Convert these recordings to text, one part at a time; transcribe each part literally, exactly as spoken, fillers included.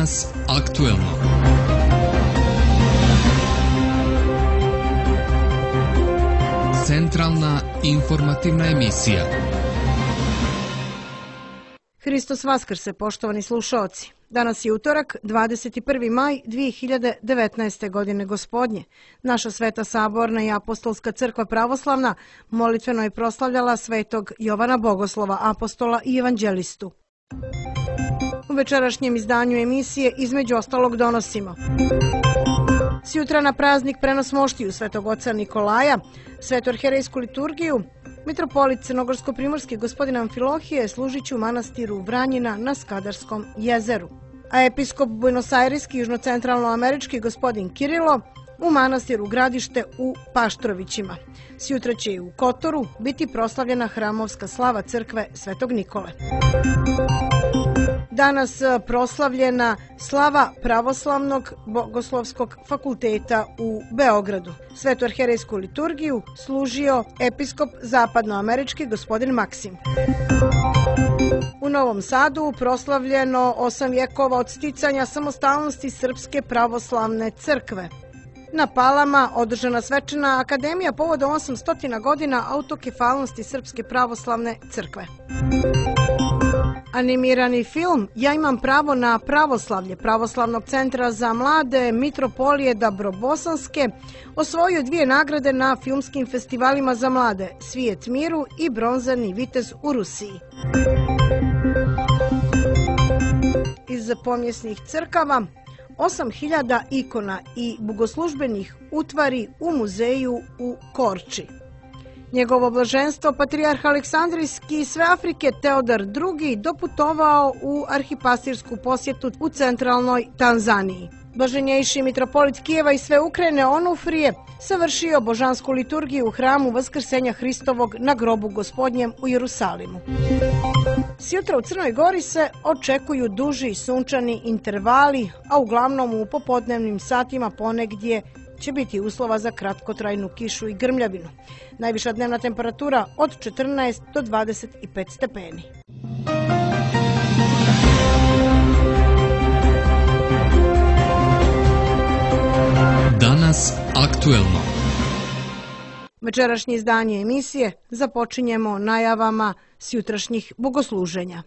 Danas aktuelno. Centralna informativna emisija. Hristos Vaskrse, poštovani slušaoci. Danas je utorak, dvadeset prvi maj dvije hiljade devetnaeste. godine gospodnje. Naša Sveta Saborna i Apostolska crkva pravoslavna molitveno je proslavljala svetog Jovana Bogoslova, apostola i evanđelistu. U večerašnjem izdanju emisije između ostalog donosimo: sjutra na praznik prenos moštiju svetog oca Nikolaja, svetoarherejsku liturgiju, mitropolit crnogorsko-primorski gospodin Amfilohije služit će u manastiru Vranjina na Skadarskom jezeru, a episkop buenosajreski južnocentralnoamerički gospodin Kirilo u manastiru Gradište u Paštrovićima. Sjutra će i u Kotoru biti proslavljena hramovska slava crkve Svetog Nikole. Danas proslavljena slava Pravoslavnog bogoslovskog fakulteta u Beogradu. Svetoarherejsku liturgiju služio episkop zapadnoamerički gospodin Maksim. U Novom Sadu proslavljeno osam vjekova od sticanja samostalnosti Srpske pravoslavne crkve. Na Palama održana svečana akademija povodom osamsto godina autokefalnosti Srpske pravoslavne crkve. Animirani film Ja imam pravo na pravoslavlje Pravoslavnog centra za mlade Mitropolije Dabrobosanske osvojio dvije nagrade na filmskim festivalima za mlade Svijet miru i Bronzani vitez u Rusiji. Iz pomjesnih crkava osam hiljada ikona i bogoslužbenih utvari u muzeju u Korči. Njegovo blaženstvo patrijarh Aleksandrijski i sve Afrike Teodor drugi doputovao u arhipastirsku posjetu u centralnoj Tanzaniji. Blaženjejši mitropolit Kijeva i sve Ukrajine Onufrije savršio božansku liturgiju u hramu Vaskrsenja Hristovog na grobu Gospodnjem u Jerusalimu. Sjutra u Crnoj Gori se očekuju duži sunčani intervali, a uglavnom u popodnevnim satima ponegdje će biti uslova za kratkotrajnu kišu i grmljavinu. Najviša dnevna temperatura od četrnaest do dvadeset pet stepeni. Danas aktuelno. Večerašnje izdanje emisije započinjemo najavama sjutrašnjih bogosluženja.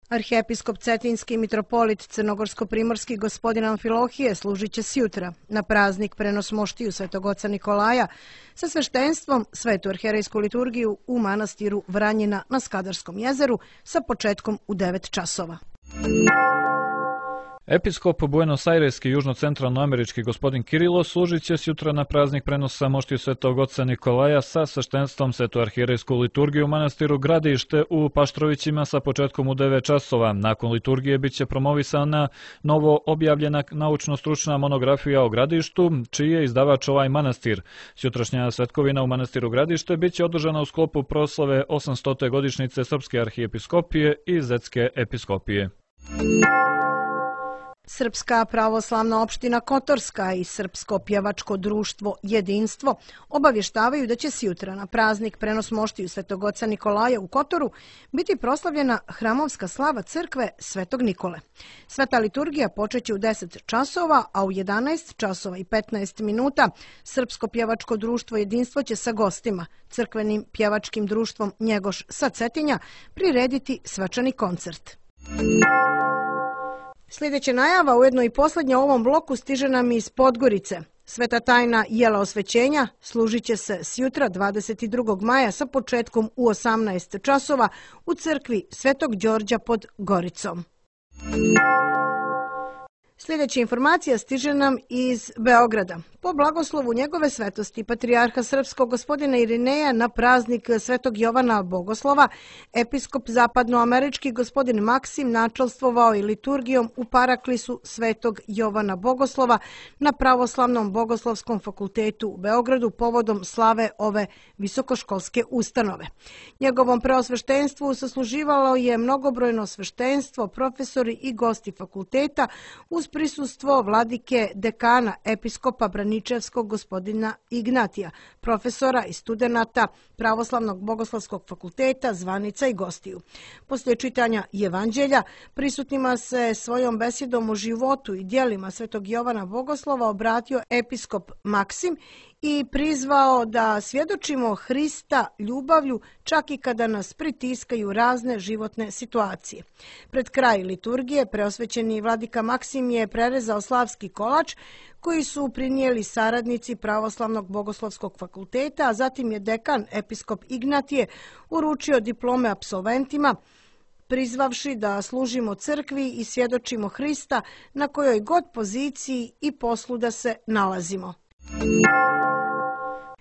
Arhiepiskop Cetinski mitropolit crnogorsko-primorski gospodin Amfilohije služit će sjutra na praznik prenos moštiju svetog oca Nikolaja sa sveštenstvom svetu arherejsku liturgiju u manastiru Vranjina na Skadarskom jezeru sa početkom u devet časova. Episkop buenosajreski južnocentralnoamerički gospodin Kirilo služit će sjutra na praznik prenosa moštiju svetog oca Nikolaja sa sveštenstvom svetoarherejsku liturgiju u manastiru Gradište u Paštrovićima sa početkom u devet časova. Nakon liturgije bit će promovisana novo objavljena naučno-stručna monografija o Gradištu, čiji je izdavač ovaj manastir. Sjutrašnja svetkovina u manastiru Gradište bit će održana u sklopu proslave osamstote godišnjice Srpske arhijepiskopije i Zetske episkopije. Srpska pravoslavna opština Kotorska i Srpsko pjevačko društvo Jedinstvo obavještavaju da će sjutra na praznik prenos moštiju svetog oca Nikolaja u Kotoru biti proslavljena hramovska slava crkve Svetog Nikole. Sveta liturgija počeće u deset časova, a u jedanaest časova i petnaest minuta Srpsko pjevačko društvo Jedinstvo će sa gostima, crkvenim pjevačkim društvom Njegoš sa Cetinja, prirediti svečani koncert. Sljedeća najava, ujedno i posljednja u ovom bloku, stiže nam iz Podgorice. Sveta tajna jela osvećenja služit će se sjutra dvadeset drugog maja sa početkom u osamnaest časova u crkvi Svetog Đorđa pod Goricom. Sljedeća informacija stiže nam iz Beograda. Po blagoslovu njegove svetosti patrijarha srpskog gospodina Irineja na praznik svetog Jovana Bogoslova, episkop zapadnoamerički gospodin Maksim načelstvovao i liturgijom u paraklisu svetog Jovana Bogoslova na Pravoslavnom bogoslovskom fakultetu u Beogradu povodom slave ove visokoškolske ustanove. Njegovom preosveštenstvu sasluživalo je mnogobrojno sveštenstvo, profesori i gosti fakulteta uz uz prisustvo vladike dekana episkopa Braničevskog gospodina Ignatija, profesora i studenata Pravoslavnog bogoslovskog fakulteta, zvanica i gostiju. Poslije čitanja Evanđelja prisutnima se svojom besedom o životu i djelima svetog Jovana Bogoslova obratio episkop Maksim i prizvao da svjedočimo Hrista ljubavlju čak i kada nas pritiskaju razne životne situacije. Pred kraj liturgije preosvećeni vladika Maksim je prerezao slavski kolač koji su prinijeli saradnici Pravoslavnog bogoslovskog fakulteta, a zatim je dekan episkop Ignatije uručio diplome apsolventima, prizvavši da služimo crkvi i svjedočimo Hrista na kojoj god poziciji i poslu da se nalazimo.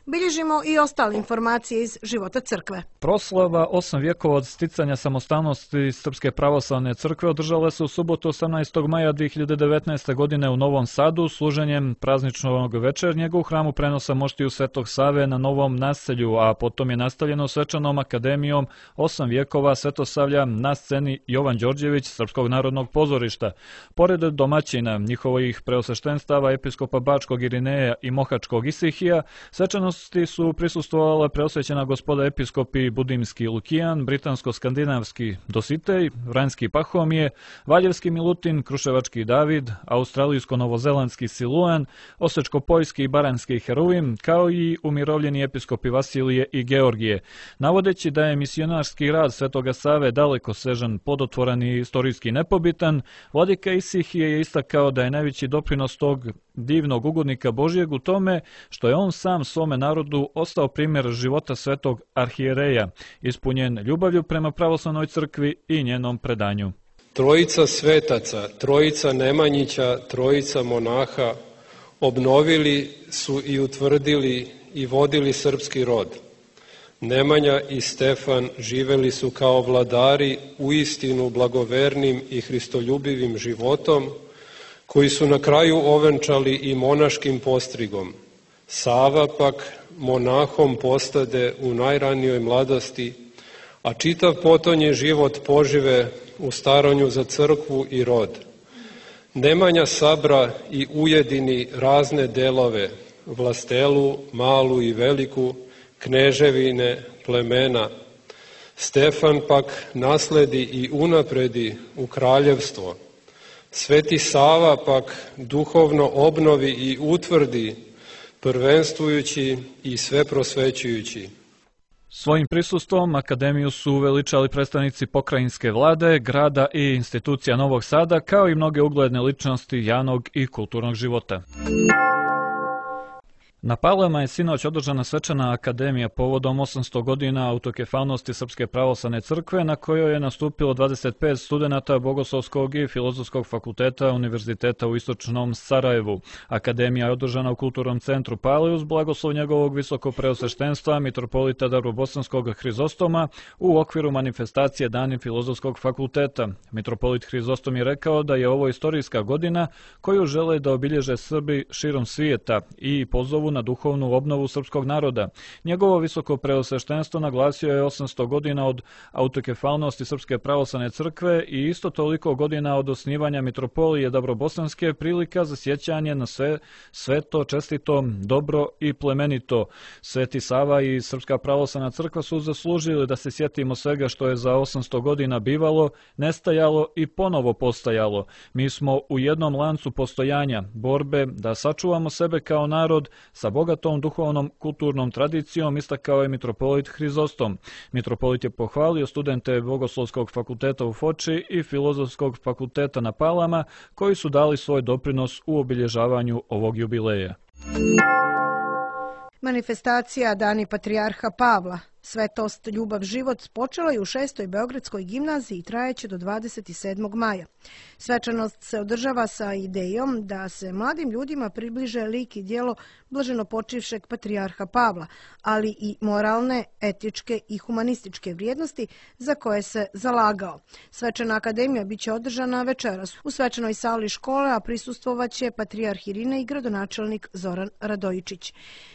Bilježimo i ostale informacije iz života crkve. Proslava osam vjekova od sticanja samostalnosti Srpske pravoslavne crkve održala se u subotu osamnaestog maja dvije hiljade devetnaeste. godine u Novom Sadu služenjem prazničnog večernjega u hramu prenosa moštiju Svetog Save na Novom naselju, a potom je nastavljeno svečanom akademijom osam vjekova Svetosavlja na sceni Jovan Đorđević Srpskog narodnog pozorišta. Pored domaćina njihovih preosveštenstava episkopa Bačkog Irineja i Mohačkog Isihija, svečano su prisustvovala preosvećena gospoda episkopi Budimski Lukijan, Britansko-skandinavski Dositej, Vranjski Pahomije, Valjevski Milutin, Kruševački David, Australijsko-novozelandski Siluan, Osečko-Poljski i Baranjski Heruvim, kao i umirovljeni episkopi Vasilije i Georgije. Navodeći da je misionarski rad Svetoga Save daleko sežan, plodotvoran i istorijski nepobitan, vladika Isihije je istakao da je najveći doprinos tog divnog ugodnika Božijeg u tome što je on sam svome narodu ostao primjer života svetog arhijereja, ispunjen ljubavlju prema pravoslavnoj crkvi i njenom predanju. Trojica svetaca, trojica Nemanjića, trojica monaha obnovili su i utvrdili i vodili srpski rod. Nemanja i Stefan živeli su kao vladari uistinu blagovernim i hristoljubivim životom, koji su na kraju ovenčali i monaškim postrigom. Sava pak monahom postade u najranijoj mladosti, a čitav potonji život požive u staranju za crkvu i rod. Nemanja sabra i ujedini razne delove, vlastelu, malu i veliku, kneževine, plemena. Stefan pak nasledi i unapredi u kraljevstvo. Sveti Sava pak duhovno obnovi i utvrdi, prvenstvujući i sve prosvećujući. Svojim prisustvom akademiju su uveličali predstavnici pokrajinske vlade, grada i institucija Novog Sada, kao i mnoge ugledne ličnosti javnog i kulturnog života. Na Pavlama je sinoć održana svečana akademija povodom osamsto godina autokefalnosti Srpske pravoslavne crkve, na kojoj je nastupilo dvadeset pet studenata Bogoslovskog i Filozofskog fakulteta Univerziteta u Istočnom Sarajevu. Akademija je održana u Kulturnom centru Pale uz blagoslov njegovog visokopreosveštenstva mitropolita Darvobosanskog Hrizostoma u okviru manifestacije Dani Filozofskog fakulteta. Mitropolit Hrizostom je rekao da je ovo istorijska godina koju žele da obilježe Srbi širom svijeta i pozovu na duhovnu obnovu srpskog naroda. Njegovo visoko preosveštenstvo naglasio je osamsto godina od autokefalnosti Srpske pravoslavne crkve i isto toliko godina od osnivanja mitropolije Darvobosanske prilika za sjećanje na sve sveto, čestito, dobro i plemenito. Sveti Sava i Srpska pravoslavna crkva su zaslužili da se sjetimo svega što je za osamsto godina bivalo, nestajalo i ponovo postajalo. Mi smo u jednom lancu postojanja, borbe da sačuvamo sebe kao narod sa bogatom duhovnom kulturnom tradicijom, istakao je mitropolit Hrizostom. Mitropolit je pohvalio studente Bogoslovskog fakulteta u Foči i Filozofskog fakulteta na Palama, koji su dali svoj doprinos u obilježavanju ovog jubileja. Manifestacija Dani Patrijarha Pavla, svetost, ljubav, život počela je u šestoj Beogradskoj gimnaziji i trajeće do dvadeset sedmog maja. Svečanost se održava sa idejom da se mladim ljudima približe lik i djelo blaženopočivšeg Patrijarha Pavla, ali i moralne, etičke i humanističke vrijednosti za koje se zalagao. Svečana akademija biće održana večeras u svečanoj sali škole, a prisustvovaće Patrijarh Irine i gradonačelnik Zoran Radojičić.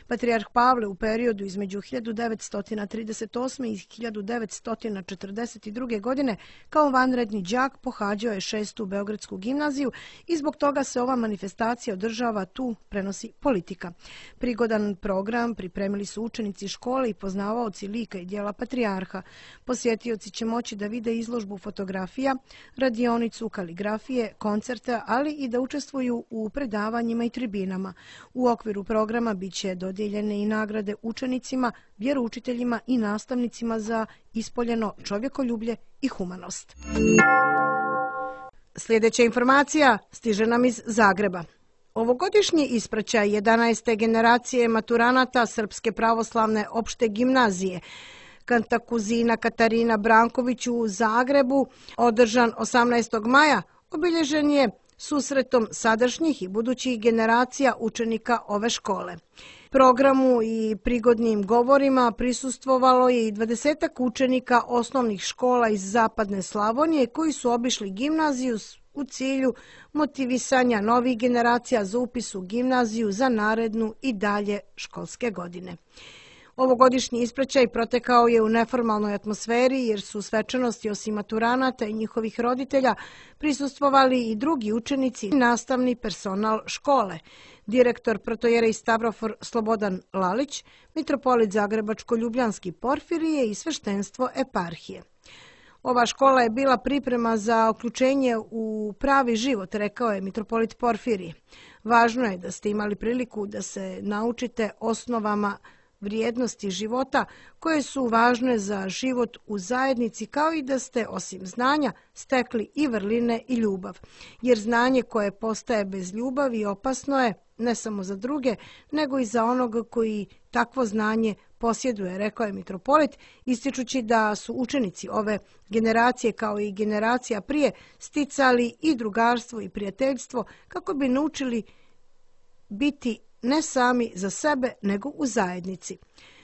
Patrijarh Pavle u periodu između hiljadu devetsto trideset trideset osme i hiljadu devetsto četrdeset druge. godine kao vanredni đak pohađao je šestu Beogradsku gimnaziju i zbog toga se ova manifestacija održava tu, prenosi Politika. Prigodan program pripremili su učenici škole i poznavaoci lika i djela patrijarha. Posjetioci će moći da vide izložbu fotografija, radionicu kaligrafije, koncerte, ali i da učestvuju u predavanjima i tribinama. U okviru programa biće dodijeljene i nagrade učenicima, vjeroučiteljima i nastavnicima za ispoljeno čovjekoljublje i humanost. Sljedeća informacija stiže nam iz Zagreba. Ovogodišnji ispraćaj jedanaeste generacije maturanata Srpske pravoslavne opšte gimnazije Kantakuzina Katarina Branković u Zagrebu, održan osamnaestog maja, obilježen je susretom sadašnjih i budućih generacija učenika ove škole. Programu i prigodnim govorima prisustvovalo je i dvadesetak učenika osnovnih škola iz Zapadne Slavonije koji su obišli gimnaziju u cilju motivisanja novih generacija za upis u gimnaziju za narednu i dalje školske godine. Ovogodišnji ispraćaj protekao je u neformalnoj atmosferi jer su svečanosti osim maturanata i njihovih roditelja prisustvovali i drugi učenici i nastavni personal škole. Direktor protojerej Stavrofor Slobodan Lalić, mitropolit Zagrebačko-Ljubljanski Porfirije i sveštenstvo eparhije. Ova škola je bila priprema za uključenje u pravi život, rekao je mitropolit Porfirije. Važno je da ste imali priliku da se naučite osnovama vrijednosti života koje su važne za život u zajednici, kao i da ste osim znanja stekli i vrline i ljubav. Jer znanje koje postaje bez ljubavi opasno je ne samo za druge, nego i za onoga koji takvo znanje posjeduje, rekao je mitropolit, ističući da su učenici ove generacije kao i generacija prije sticali i drugarstvo i prijateljstvo kako bi naučili biti ne sami za sebe, nego u zajednici.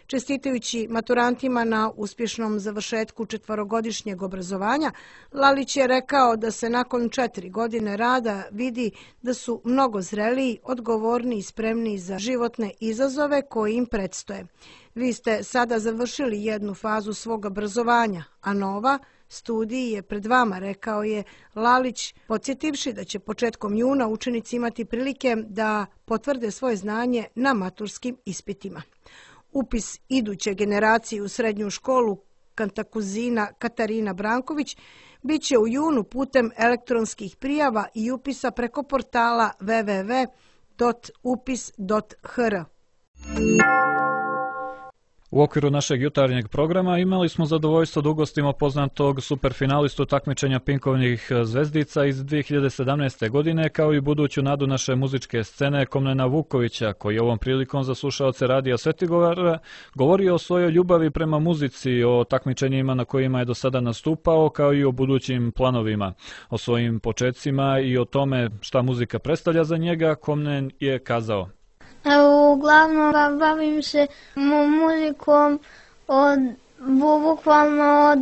Čestitajući maturantima na uspješnom završetku četvorogodišnjeg obrazovanja, Lalić je rekao da se nakon četiri godine rada vidi da su mnogo zreliji, odgovorniji i spremniji za životne izazove koji im predstoje. Vi ste sada završili jednu fazu svog obrazovanja, a nova studij je pred vama, rekao je Lalić, podsjetivši da će početkom juna učenici imati prilike da potvrde svoje znanje na maturskim ispitima. Upis iduće generacije u srednju školu Kantakuzina Katarina Branković biće u junu putem elektronskih prijava i upisa preko portala w w w dot upis dot h r. U okviru našeg jutarnjeg programa imali smo zadovoljstvo da ugostimo poznatog superfinalistu takmičenja Pinkovnih zvezdica iz dvije hiljade sedamnaeste. godine, kao i buduću nadu naše muzičke scene Komnena Vukovića, koji ovom prilikom za slušaoce Radija Svetigovara govorio o svojoj ljubavi prema muzici, o takmičenjima na kojima je do sada nastupao, kao i o budućim planovima. O svojim početcima i o tome šta muzika predstavlja za njega, Komnen je kazao: Uglavnom bavim se muzikom od, bukvalno od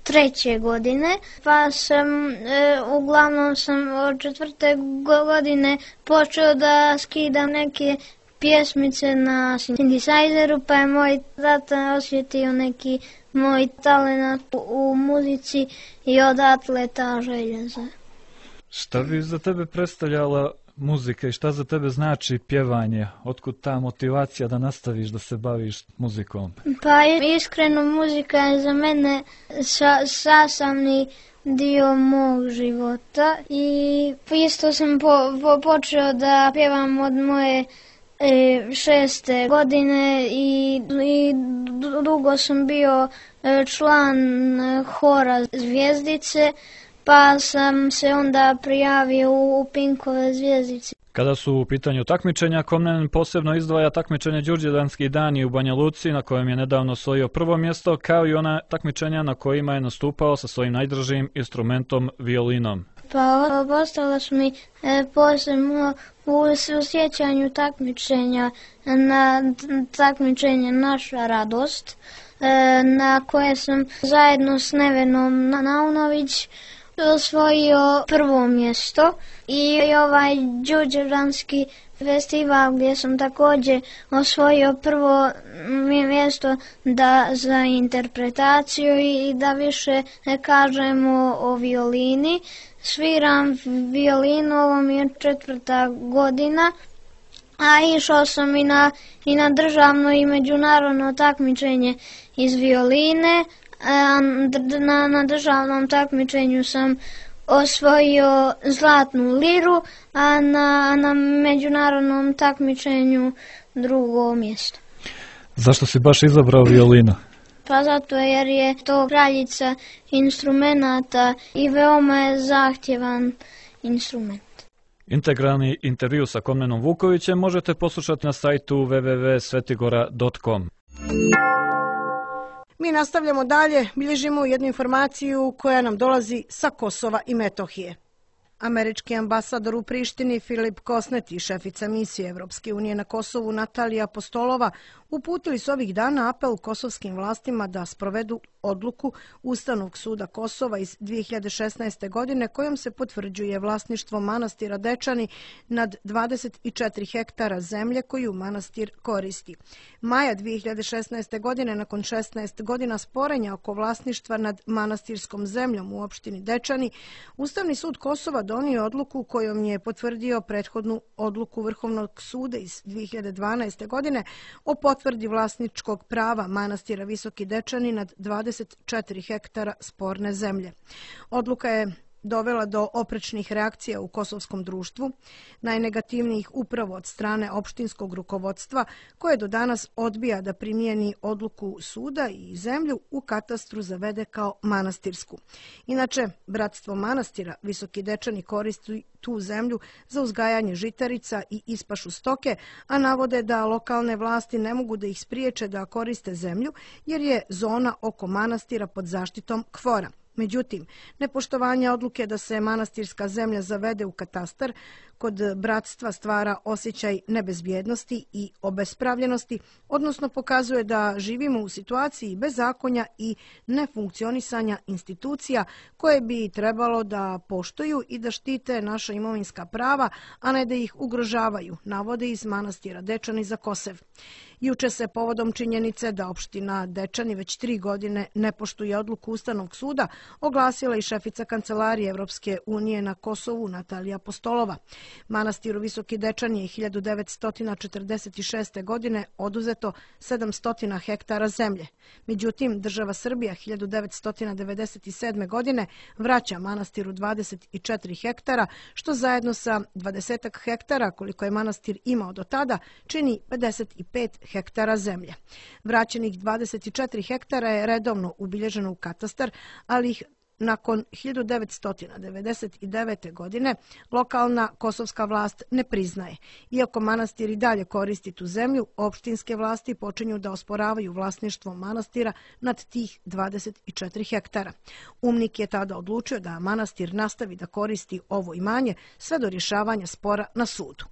treće godine, pa sam, e, uglavnom sam od četvrte godine počeo da skidam neke pjesmice na sintesajzeru, pa je moj tata osjetio neki moj talent u, u muzici i odatle ta želja za. Šta bi za tebe predstavljala muzika i šta za tebe znači pjevanje? Otkud ta motivacija da nastaviš da se baviš muzikom? Pa iskreno, muzika je za mene sa, sastavni dio mog života i isto sam po, po, počeo da pjevam od moje e, šeste godine i, i dugo sam bio član hora Zvijezdice, pa sam se onda prijavio u Pinkove zvjezdice. Kada su u pitanju takmičenja, Komnen posebno izdvaja takmičenje Đurđevdanski dani u Banja Luci, na kojem je nedavno osvojio prvo mjesto, kao i ona takmičenja na kojima je nastupao sa svojim najdražim instrumentom, violinom. Pa ostalo su mi e, posebno u sjećanju takmičenja na takmičenje Naša radost, e, na koje sam zajedno s Nevenom Naunović osvojio prvo mjesto i ovaj đurđevdanski festival gdje sam također osvojio prvo mjesto da za interpretaciju i da više ne kažemo o violini. Sviram violinu, ovo mi je četvrta godina, a išao sam i na, i na državno i međunarodno takmičenje iz violine. Na, na državnom takmičenju sam osvojio zlatnu liru, a na, na međunarodnom takmičenju drugo mjesto. Zašto si baš izabrao violinu? Pa zato jer je to kraljica instrumenata i veoma je zahtjevan instrument. Integralni intervju sa Komnenom Vukovićem možete poslušati na sajtu w w w dot svetigora dot com. Mi nastavljamo dalje, bilježimo jednu informaciju koja nam dolazi sa Kosova i Metohije. Američki ambasador u Prištini Filip Kosnet i šefica misije Evropske unije na Kosovu Natalija Apostolova uputili su ovih dana apel kosovskim vlastima da sprovedu odluku Ustavnog suda Kosova iz dvije hiljade šesnaeste. godine kojom se potvrđuje vlasništvo manastira Dečani nad dvadeset četiri hektara zemlje koju manastir koristi. Maja dvije hiljade šesnaeste. godine, nakon šesnaest godina sporenja oko vlasništva nad manastirskom zemljom u opštini Dečani, Ustavni sud Kosova donio odluku kojom je potvrdio prethodnu odluku Vrhovnog suda iz dvije hiljade dvanaeste. godine o potvrdi vlasničkog prava manastira Visoki Dečani nad dvadeset četiri hektara sporne zemlje. Odluka je dovela do oprečnih reakcija u kosovskom društvu, najnegativnijih upravo od strane opštinskog rukovodstva, koje do danas odbija da primijeni odluku suda i zemlju u katastru zavede kao manastirsku. Inače, Bratstvo manastira Visoki Dečani koristi tu zemlju za uzgajanje žitarica i ispašu stoke, a navode da lokalne vlasti ne mogu da ih spriječe da koriste zemlju jer je zona oko manastira pod zaštitom KFOR-a. Međutim, nepoštovanje odluke da se manastirska zemlja zavede u katastar kod bratstva stvara osjećaj nebezbjednosti i obespravljenosti, odnosno pokazuje da živimo u situaciji bezakonja i nefunkcionisanja institucija koje bi trebalo da poštuju i da štite naša imovinska prava, a ne da ih ugrožavaju, navode iz manastira Dečani za Kosev. Juče se povodom činjenice da opština Dečani već tri godine ne poštuje odluku Ustavnog suda oglasila i šefica Kancelarije Evropske unije na Kosovu Natalija Apostolova. Manastiru Visoki Dečani je hiljadu devetsto četrdeset šeste. godine oduzeto sedamsto hektara zemlje. Međutim, država Srbija hiljadu devetsto devedeset sedme. godine vraća manastiru dvadeset četiri hektara, što zajedno sa dvadeset hektara koliko je manastir imao do tada čini pedeset pet hektara zemlje. Vraćenih dvadeset četiri hektara je redovno ubilježeno u katastar, ali ih nakon hiljadu devetsto devedeset devete. godine lokalna kosovska vlast ne priznaje. Iako manastir i dalje koristi tu zemlju, opštinske vlasti počinju da osporavaju vlasništvo manastira nad tih dvadeset četiri hektara. Umnik je tada odlučio da manastir nastavi da koristi ovo imanje sve do rješavanja spora na sudu.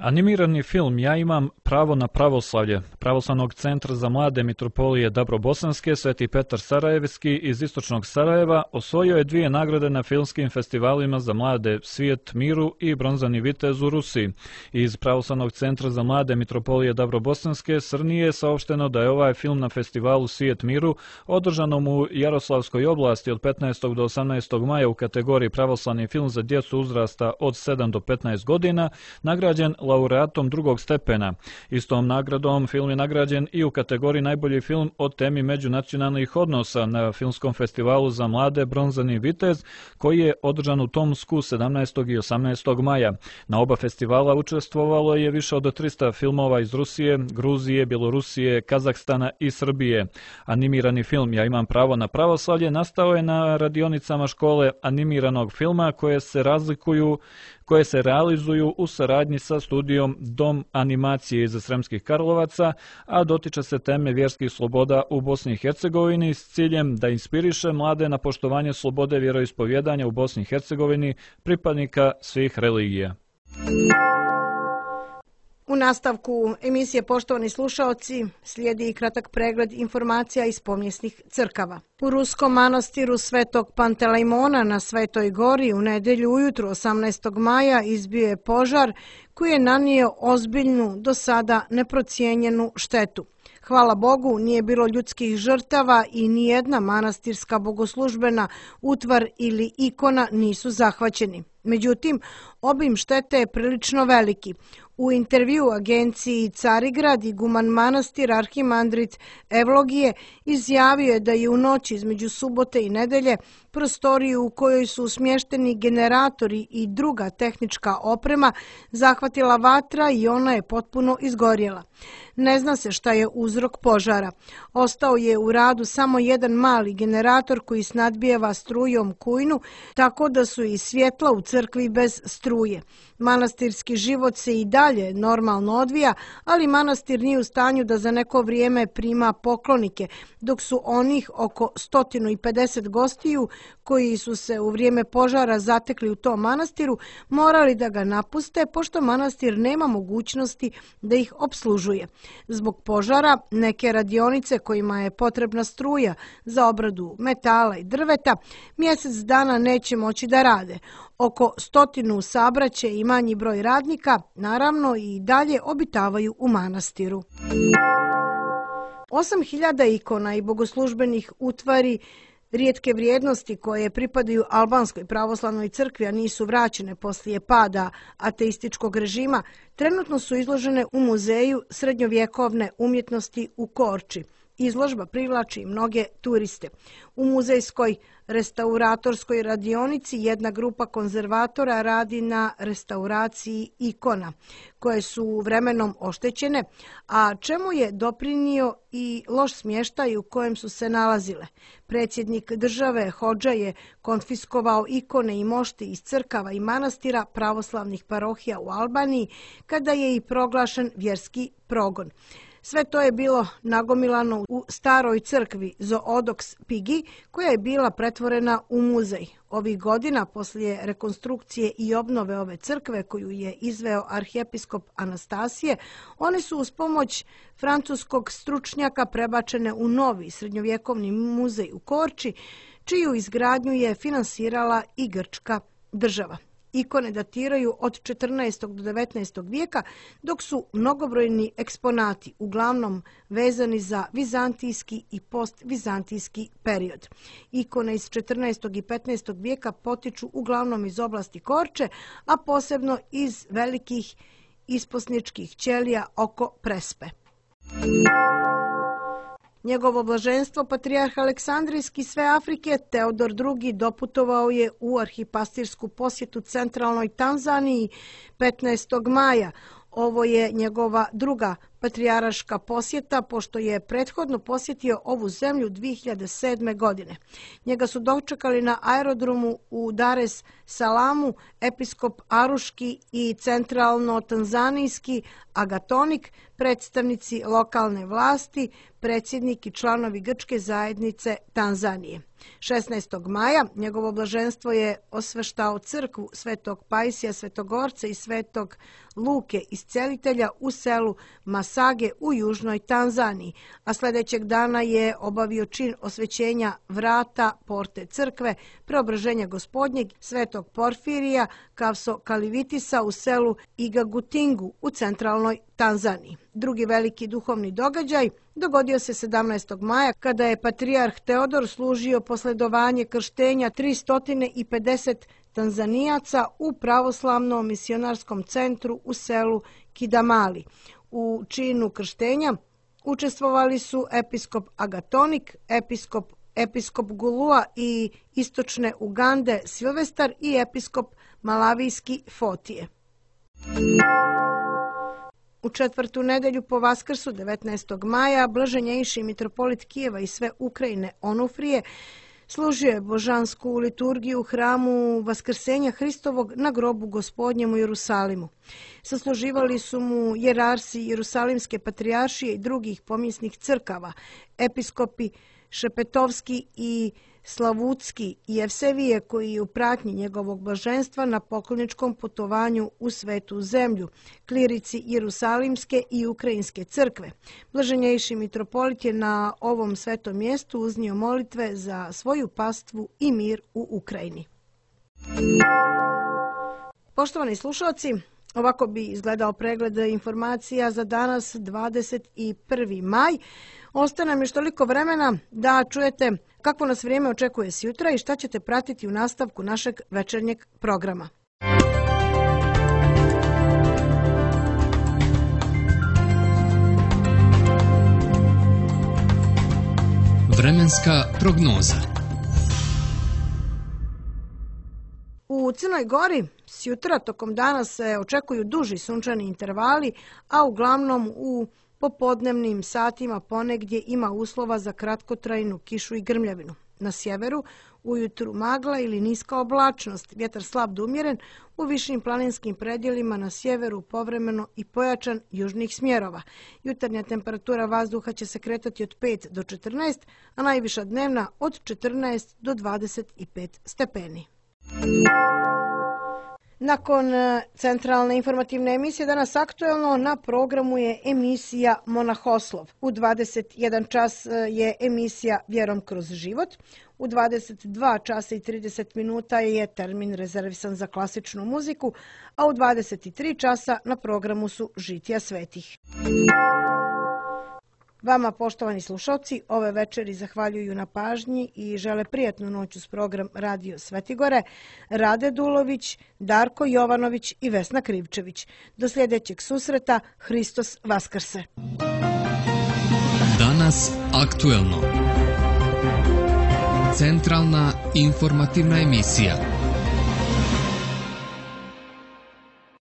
Animirani film Ja imam pravo na pravoslavlje Pravoslavnog centra za mlade Mitropolije Dabrobosanske Sveti Petar Sarajevski iz istočnog Sarajeva osvojio je dvije nagrade na filmskim festivalima za mlade Svijet miru i Bronzani vitez u Rusiji. Iz Pravoslavnog centra za mlade Mitropolije Dabrobosanske Srnije je saopšteno da je ovaj film na festivalu Svijet miru održanom u Jaroslavskoj oblasti od petnaestog do osamnaestog maja u kategoriji Pravoslavni film za djecu uzrasta od sedam do petnaest godina nagrađen laureatom drugog stepena. Istom nagradom film je nagrađen i u kategoriji najbolji film o temi međunacionalnih odnosa na filmskom festivalu za mlade Bronzani vitez koji je održan u Tomsku sedamnaestog i osamnaestog maja. Na oba festivala učestvovalo je više od trista filmova iz Rusije, Gruzije, Bjelorusije, Kazahstana i Srbije. Animirani film Ja imam pravo na pravoslavlje nastao je na radionicama škole animiranog filma koje se razlikuju koje se realizuju u saradnji sa studijom Dom animacije iz Sremskih Karlovaca, a dotiče se teme vjerskih sloboda u Bosni i Hercegovini s ciljem da inspiriše mlade na poštovanje slobode vjeroispovjedanja u Bosni i Hercegovini pripadnika svih religija. U nastavku emisije, poštovani slušaoci, slijedi kratak pregled informacija iz pomjesnih crkava. U Ruskom manastiru Svetog Pantelejmona na Svetoj gori u nedelju ujutru osamnaestog maja izbio je požar koji je nanio ozbiljnu, do sada neprocijenjenu štetu. Hvala Bogu, nije bilo ljudskih žrtava i nijedna manastirska bogoslužbena utvar ili ikona nisu zahvaćeni. Međutim, obim štete je prilično veliki. U intervju agenciji Carigrad iguman manastir arhimandrit Evlogije izjavio je da je u noći između subote i nedelje prostoriju u kojoj su smješteni generatori i druga tehnička oprema zahvatila vatra i ona je potpuno izgorjela. Ne zna se šta je uzrok požara. Ostao je u radu samo jedan mali generator koji snadbijeva strujom kujnu, tako da su i svjetla u crkvi bez struje. Manastirski život se i dalje normalno odvija, ali manastir nije u stanju da za neko vrijeme prima poklonike, dok su onih oko sto pedeset gostiju koji su se u vrijeme požara zatekli u tom manastiru morali da ga napuste, pošto manastir nema mogućnosti da ih opslužuje. Zbog požara neke radionice kojima je potrebna struja za obradu metala i drveta mjesec dana neće moći da rade. Oko stotinu sabraće i manji broj radnika, naravno, i dalje obitavaju u manastiru. osam hiljada ikona i bogoslužbenih utvari rijetke vrijednosti koje pripadaju albanskoj pravoslavnoj crkvi, a nisu vraćene poslije pada ateističkog režima, trenutno su izložene u Muzeju srednjovjekovne umjetnosti u Korči. Izložba privlači mnoge turiste. U muzejskoj restauratorskoj radionici jedna grupa konzervatora radi na restauraciji ikona, koje su vremenom oštećene, a čemu je doprinio i loš smještaj u kojem su se nalazile. Predsjednik države Hodža je konfiskovao ikone i mošti iz crkava i manastira pravoslavnih parohija u Albaniji, kada je i proglašen vjerski progon. Sve to je bilo nagomilano u staroj crkvi Zoodoks Pigi, koja je bila pretvorena u muzej. Ovih godina, poslije rekonstrukcije i obnove ove crkve koju je izveo arhijepiskop Anastasije, one su uz pomoć francuskog stručnjaka prebačene u novi srednjovjekovni muzej u Korči, čiju izgradnju je finansirala i grčka država. Ikone datiraju od četrnaestog do devetnaestog vijeka, dok su mnogobrojni eksponati uglavnom vezani za vizantijski i postvizantijski period. Ikone iz četrnaestog i petnaestog vijeka potiču uglavnom iz oblasti Korče, a posebno iz velikih isposničkih ćelija oko Prespe. Njegovo blaženstvo, patrijarh Aleksandrijski sve Afrike, Teodor drugi, doputovao je u arhipastirsku posjetu centralnoj Tanzaniji petnaestog maja. Ovo je njegova druga patrijaraška posjeta, pošto je prethodno posjetio ovu zemlju dvije hiljade sedme. godine. Njega su dočekali na aerodromu u Dar es Salamu episkop Aruški i centralno-tanzanijski agatonik, predstavnici lokalne vlasti, predsjednik i članovi grčke zajednice Tanzanije. šesnaestog maja njegovo blaženstvo je osveštao crkvu Svetog Pajsija Svetogorca i Svetog Luke Iscelitelja u selu Masage u južnoj Tanzaniji, a sljedećeg dana je obavio čin osvećenja vrata porte crkve Preobraženja Gospodnjeg Svetog Porfirija Kavso Kalivitisa u selu Igagutingu u centralnoj Tanzaniji. Drugi veliki duhovni događaj dogodio se sedamnaestog maja kada je patrijarh Teodor služio posledovanje krštenja tristo pedeset Tanzanijaca u pravoslavnom misionarskom centru u selu Kidamali. U činu krštenja učestvovali su episkop Agatonik, episkop episkop Gulua i istočne Ugande Silvestar i episkop Malavijski Fotije. U četvrtu nedelju po Vaskrsu, devetnaestog maja, blaženjejši mitropolit Kijeva i sve Ukrajine Onufrije služio je božansku liturgiju u hramu Vaskrsenja Hristovog na grobu Gospodnjem u Jerusalimu. Sasluživali su mu jerarsi Jerusalimske patrijaršije i drugih pomjesnih crkava, episkopi Šepetovski i Slavutski i Evsevije, koji je u pratnji njegovog blaženstva na pokloničkom putovanju u Svetu zemlju, klirici Jerusalimske i Ukrajinske crkve. Blaženjejši mitropolit je na ovom svetom mjestu uznio molitve za svoju pastvu i mir u Ukrajini. Poštovani slušalci, ovako bi izgledao pregled informacija za danas, dvadeset prvi maj. Ostaje nam još toliko vremena da čujete kakvo nas vrijeme očekuje sjutra i šta ćete pratiti u nastavku našeg večernjeg programa. Vremenska prognoza. U Crnoj Gori sjutra tokom dana se očekuju duži sunčani intervali, a uglavnom u popodnevnim satima ponegdje ima uslova za kratkotrajnu kišu i grmljavinu. Na sjeveru ujutru magla ili niska oblačnost, vjetar slab do umjeren, u višim planinskim predjelima na sjeveru povremeno i pojačan južnih smjerova. Jutarnja temperatura vazduha će se kretati od pet do četrnaest, a najviša dnevna od četrnaest do dvadeset pet stepeni. Nakon centralne informativne emisije danas aktuelno na programu je emisija Monahoslov. U dvadeset jedan čas je emisija Vjerom kroz život. U dvadeset dva časa i trideset minuta je termin rezervisan za klasičnu muziku, a u dvadeset tri časa na programu su Žitija svetih. Vama, poštovani slušalci, ove večeri zahvaljuju na pažnji i žele prijatnu noć uz program Radio Svetigore Rade Dulović, Darko Jovanović i Vesna Krivčević. Do sljedećeg susreta, Hristos Vaskrse. Danas aktuelno. Centralna informativna emisija.